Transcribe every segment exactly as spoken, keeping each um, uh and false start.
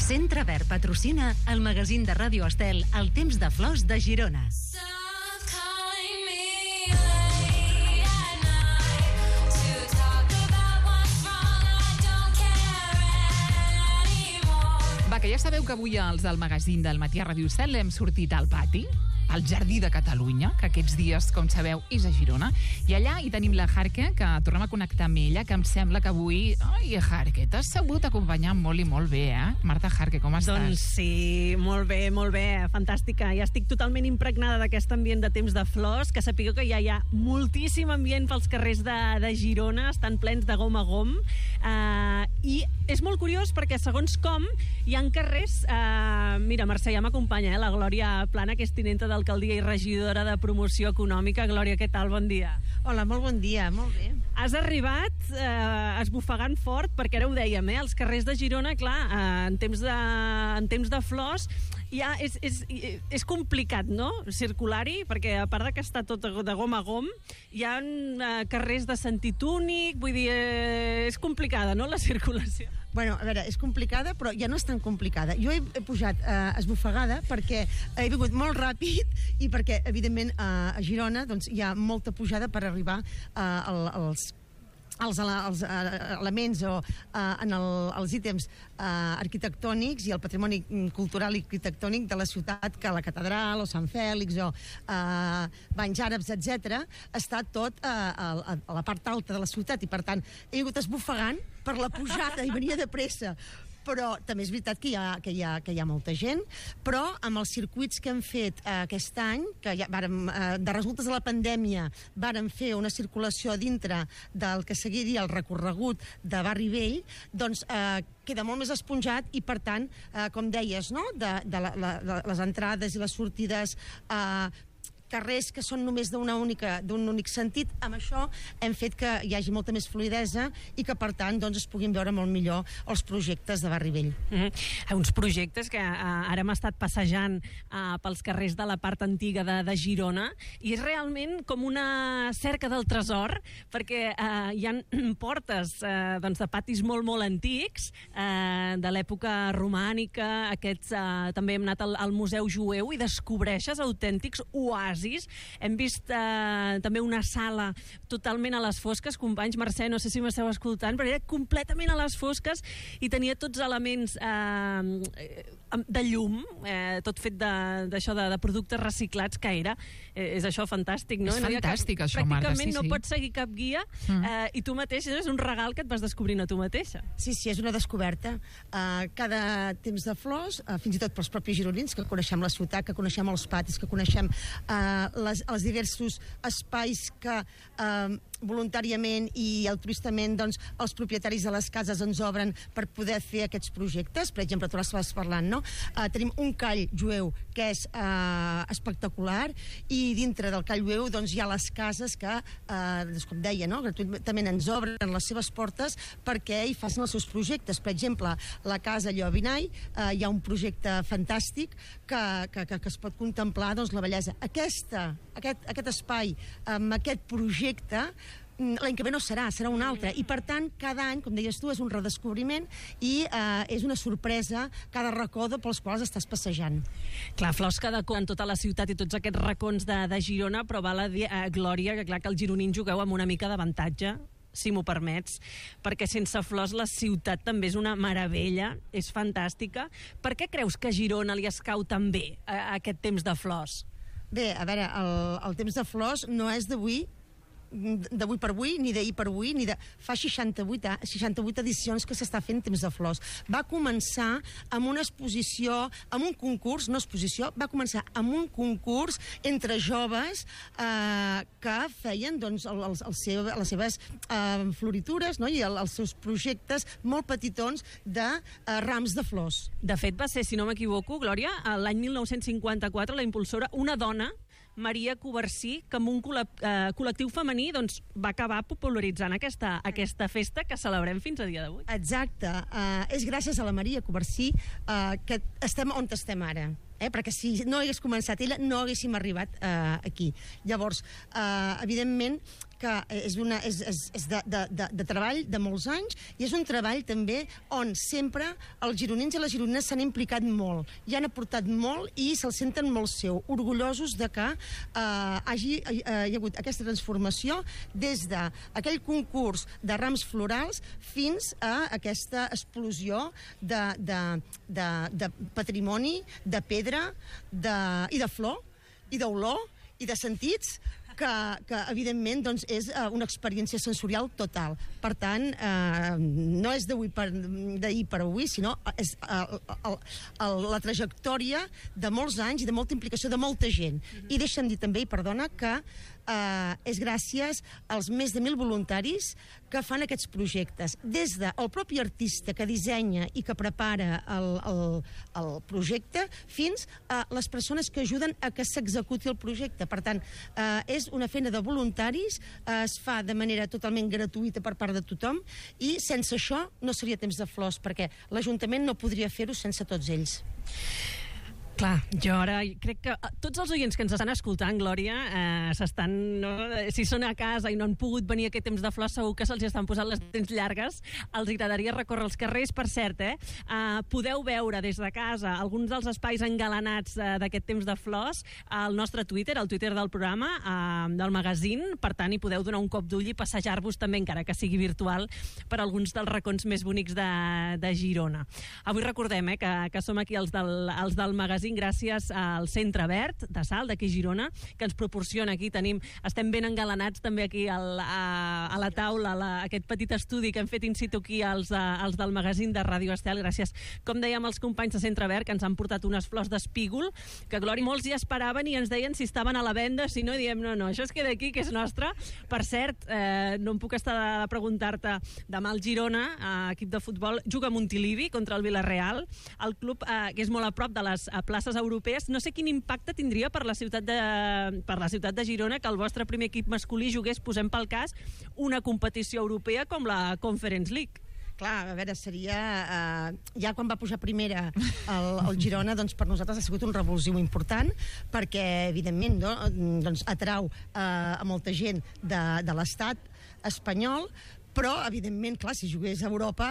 Centre Verd patrocina el magazín de Ràdio Estel El temps de flors de Girona. Va, que ja sabeu que avui els del magazín del Matí a Ràdio Estel hem sortit al pati, al Jardí de Catalunya, que aquests dies, com sabeu, és a Girona. I allà hi tenim la Jarque, que tornem a connectar amb ella, que em sembla que avui... Ai, Jarque, t'has sabut acompanyar molt i molt bé, eh? Marta Jarque, com estàs? Doncs sí, molt bé, molt bé, fantàstica. Ja estic totalment impregnada d'aquest ambient de temps de flors, que sapigueu que ja hi ha moltíssim ambient pels carrers de, de Girona, estan plens de gom a gom, uh, i és molt curiós perquè, segons com, hi ha carrers... Uh, mira, Mercè, ja m'acompanya, eh? La Glòria Plana, que és tinenta d'alcaldia i regidora de promoció econòmica. Glòria, què tal? Bon dia. Hola, molt bon dia, molt bé. Has arribat eh, esbufegant fort, perquè ara ho dèiem, eh? Els carrers de Girona, clar, eh, en, temps de, en temps de flors, ja és, és, és complicat, no?, circular-hi, perquè a part de que està tot de gom a gom, hi ha eh, carrers de sentit únic, vull dir, eh, és complicada, no?, la circulació. Bueno, a veure, és complicada, però ja no és tan complicada. Jo he, he pujat eh, esbufegada perquè he vingut molt ràpid i perquè, evidentment, eh, a Girona doncs, hi ha molta pujada per arribar eh, als els, els elements o uh, en el, els ítems uh, arquitectònics i el patrimoni cultural i arquitectònic de la ciutat, que la catedral o Sant Fèlix o uh, banys àrabs, etcètera, està tot uh, a, a la part alta de la ciutat i, per tant, he vingut esbufegant per la pujada i venia de pressa. Però també és veritat que hi ha, que hi ha, que hi ha molta gent, però amb els circuits que hem fet eh, aquest any, que ja vàrem, eh, de resultes de la pandèmia vàrem fer una circulació dintre del que seguiria el recorregut de Barri Vell, doncs eh, queda molt més esponjat i, per tant, eh, com deies, no?, de, de la, la, les entrades i les sortides, eh, carrers que són només d'una única, d'un únic sentit, amb això hem fet que hi hagi molta més fluïdesa i que, per tant, doncs, es puguin veure molt millor els projectes de Barri Vell. Mm-hmm. Uns projectes que uh, ara hem estat passejant uh, pels carrers de la part antiga de, de Girona, i és realment com una cerca del tresor, perquè uh, hi ha portes uh, doncs, de patis molt, molt antics, uh, de l'època romànica, aquests, uh, també hem anat al, al Museu Jueu i descobreixes autèntics oasis. Hem vist eh, també una sala totalment a les fosques. Companys, Mercè, no sé si m'esteu escoltant, però era completament a les fosques i tenia tots elements eh, de llum, eh, tot fet d'això de, de, de productes reciclats, que era. Eh, és això fantàstic, no? És fantàstic, no, això, Marta, sí, pràcticament no sí. pots seguir cap guia mm. eh, i tu mateixa, és un regal que et vas descobrint a tu mateixa. Sí, sí, és una descoberta. Uh, cada temps de flors, uh, fins i tot pels propis gironins, que coneixem la ciutat, que coneixem els patis, que coneixem uh, les, els diversos espais que eh, voluntàriament i altruistament, doncs, els propietaris de les cases ens obren per poder fer aquests projectes. Per exemple, tu l'estàs parlant, no? Eh, tenim un call jueu que és eh, espectacular, i dintre del call jueu doncs, hi ha les cases que, eh, doncs, com deia, no?, gratuïtament ens obren les seves portes perquè hi facin els seus projectes. Per exemple, la casa Llobinai, eh, hi ha un projecte fantàstic que, que, que, que es pot contemplar, doncs, la bellesa. Aquesta, aquest, aquest espai, amb aquest projecte, l'any que ve no serà, serà un altre, i per tant cada any, com deies tu, és un redescobriment i eh, és una sorpresa cada racó pels quals estàs passejant. Clar, flors cada cop en tota la ciutat i tots aquests racons de, de Girona, però val a dir, eh, Glòria, que clar que els gironins jugueu amb una mica d'avantatge, si m'ho permets, perquè sense flors la ciutat també és una meravella, és fantàstica. Per què creus que a Girona li escau tan bé a, a aquest temps de flors? Bé, a veure, el, el temps de flors no és d'avui, d'avui per avui, ni d'ahir per avui, ni de... Fa seixanta-vuit, seixanta-vuit edicions que s'està fent Temps de Flors. Va començar amb una exposició, amb un concurs, no exposició, va començar amb un concurs entre joves eh, que feien, doncs, el, el, el seu, les seves eh, floritures, no?, i el, els seus projectes molt petitons de eh, rams de flors. De fet, va ser, si no m'equivoco, Glòria, l'any mil nou-cents cinquanta-quatre, la impulsora, una dona, Maria Coversí, que amb un col·lectiu femení doncs, va acabar popularitzant aquesta, aquesta festa que celebrem fins a dia d'avui. Exacte. Uh, és gràcies a la Maria Coversí uh, que estem on estem ara. Eh, perquè si no hagués començat ella no haguéssim arribat eh, aquí. Llavors, eh, evidentment que és, una, és, és, és de, de, de, de treball de molts anys, i és un treball també on sempre els gironins i les gironines s'han implicat molt, i han aportat molt i se'l senten molt seu, orgullosos de que eh, hagi, eh, hi ha hagut aquesta transformació des d'aquell concurs de rams florals fins a aquesta explosió de, de, de, de patrimoni, de pedra de, i de flor, i d'olor, i de sentits, que, que evidentment doncs, és uh, una experiència sensorial total. Per tant, uh, no és d'ahir per, per avui, sinó és uh, el, el, la trajectòria de molts anys i de molta implicació de molta gent. Mm-hmm. I deixa'm dir també, i perdona, que Uh, és gràcies als més de mil voluntaris que fan aquests projectes. Des del propi artista que dissenya i que prepara el, el, el projecte fins a les persones que ajuden a que s'executi el projecte. Per tant, uh, és una feina de voluntaris, uh, es fa de manera totalment gratuïta per part de tothom, i sense això no seria Temps de Flors, perquè l'Ajuntament no podria fer-ho sense tots ells. Clar, jo ara crec que tots els oients que ens estan escoltant, Glòria, eh, s'estan, no? Si són a casa i no han pogut venir a aquest Temps de Flors, segur que se'ls estan posant les dents llargues. Els agradaria recórrer els carrers. Per cert, eh, eh, podeu veure des de casa alguns dels espais engalanats eh, d'aquest Temps de Flors al nostre Twitter, al Twitter del programa, eh, del magazín. Per tant, hi podeu donar un cop d'ull i passejar-vos també, encara que sigui virtual, per alguns dels racons més bonics de, de Girona. Avui recordem eh, que, que som aquí els del, els del magazín gràcies al Centre Verd de Salt, d'aquí a Girona, que ens proporciona aquí. Tenim, estem ben engalanats també aquí al, a, a la taula, a la, aquest petit estudi que hem fet in situ aquí els, els del magazín de Ràdio Estel. Gràcies, com dèiem, als companys de Centre Verd, que ens han portat unes flors d'espígol, que, Glòria, molts hi esperaven i ens deien si estaven a la venda, si no, diem, no, no, això es queda aquí, que és nostre. Per cert, eh, no em puc estar de preguntar-te, demà el Girona, eh, equip de futbol, juga a Montilivi contra el Villarreal, el club eh, que és molt a prop de les eh, places europees. No sé quin impacte tindria per la ciutat de, per la ciutat de Girona que el vostre primer equip masculí jugués, posem pel cas, una competició europea com la Conference League. Clar, a veure, seria... Eh, ja quan va pujar primera el, el Girona, doncs per nosaltres ha sigut un revulsiu important, perquè, evidentment, no, doncs atrau eh, a molta gent de, de l'estat espanyol, però, evidentment, clar, si jugués a Europa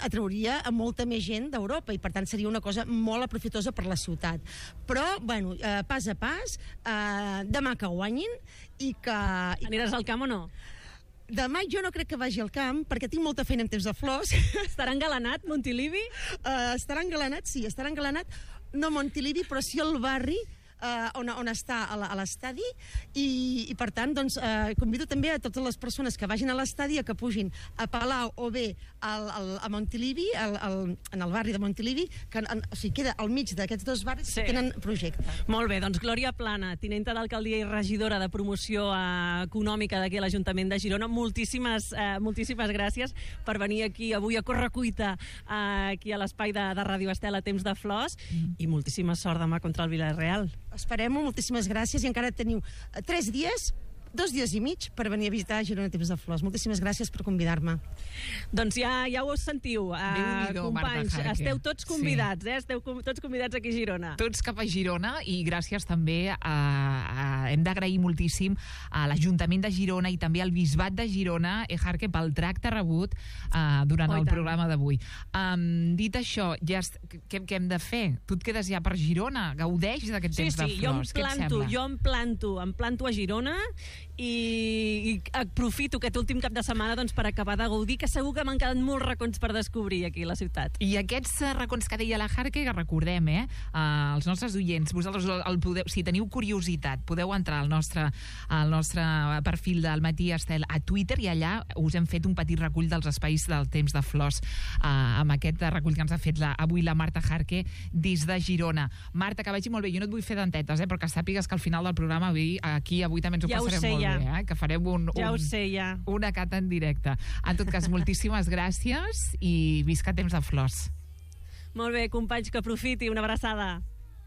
atrauria a molta més gent d'Europa i, per tant, seria una cosa molt aprofitosa per la ciutat. Però, bueno, eh, pas a pas, eh, demà que guanyin i que... Aniràs al camp o no? Demà jo no crec que vagi al camp, perquè tinc molta feina en Temps de Flors. Estarà engalanat, Montilivi? Uh, estarà engalanat, sí, estarà engalanat. No Montilivi, però sí el barri, Uh, on, on està a l'estadi, i, i per tant doncs, uh, convido també a totes les persones que vagin a l'estadi a que pugin a Palau o bé al, al, a Montilivi, al, al, en el barri de Montilivi, que en, o sigui, queda al mig d'aquests dos barris, sí, que tenen projecte. Molt bé, doncs Glòria Plana, tinenta d'alcaldia i regidora de promoció uh, econòmica d'aquí a l'Ajuntament de Girona, moltíssimes, uh, moltíssimes gràcies per venir aquí avui a correcuita uh, aquí a l'espai de, de Ràdio Estel a Temps de Flors, mm. i moltíssima sort demà contra el Villarreal. Esperem-ho, moltíssimes gràcies, i encara teniu tres dies, dos dies i mig per venir a visitar Girona Temps de Flors. Moltíssimes gràcies per convidar-me. Doncs ja, ja ho sentiu, uh, companys, esteu tots convidats, sí. eh? Esteu com, tots convidats aquí a Girona. Tots cap a Girona, i gràcies també a, a, hem d'agrair moltíssim a l'Ajuntament de Girona i també al Bisbat de Girona, Ejarque, pel tracte rebut uh, durant oh, el programa d'avui. Um, dit això, ja est... què, què hem de fer? Tu et quedes ja per Girona? Gaudeix d'aquest sí, Temps sí, de Flors? Jo em planto, jo em planto, em planto a Girona i, i aprofito aquest últim cap de setmana doncs, per acabar de gaudir, que segur que m'han quedat molts racons per descobrir aquí a la ciutat. I aquests racons que deia la Jarque, que recordem, eh, uh, els nostres oients, vosaltres el podeu, si teniu curiositat, podeu entrar al nostre, al nostre perfil del Matí Estel a Twitter, i allà us hem fet un petit recull dels espais del Temps de Flors, uh, amb aquest recull que ens ha fet la, avui la Marta Jarque des de Girona. Marta, que vagi molt bé. Jo no et vull fer dentetes, eh, però que sàpigues que al final del programa avui, aquí avui també ens ho ja passarem sé, molt ja. bé, eh, que farem un, ja un, sé, ja. una cata en directe. En tot cas, moltíssimes gràcies i visca Temps de Flors. Molt bé, companys, que aprofiti. Una abraçada.